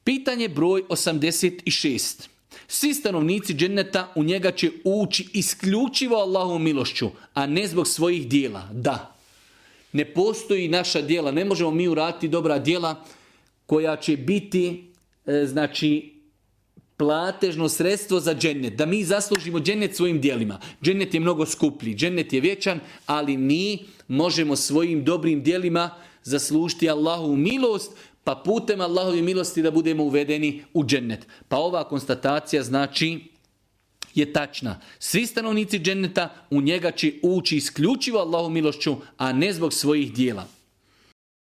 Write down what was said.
Pitanje broj 86. Svi stanovnici dženneta u njega će ući isključivo Allahovom milošću, a ne zbog svojih dijela. Da. Ne postoji naša djela, ne možemo mi uraditi dobra djela koja će biti, platežno sredstvo za džennet. Da mi zaslužimo džennet svojim djelima. Džennet je mnogo skuplji, džennet je vječan, ali mi možemo svojim dobrim djelima zaslužiti Allahovu milost, pa putem Allahove milosti da budemo uvedeni u džennet. Pa ova konstatacija je tačna. Svi stanovnici dženneta u njega će ući isključivo Allahovom milošću, a ne zbog svojih djela.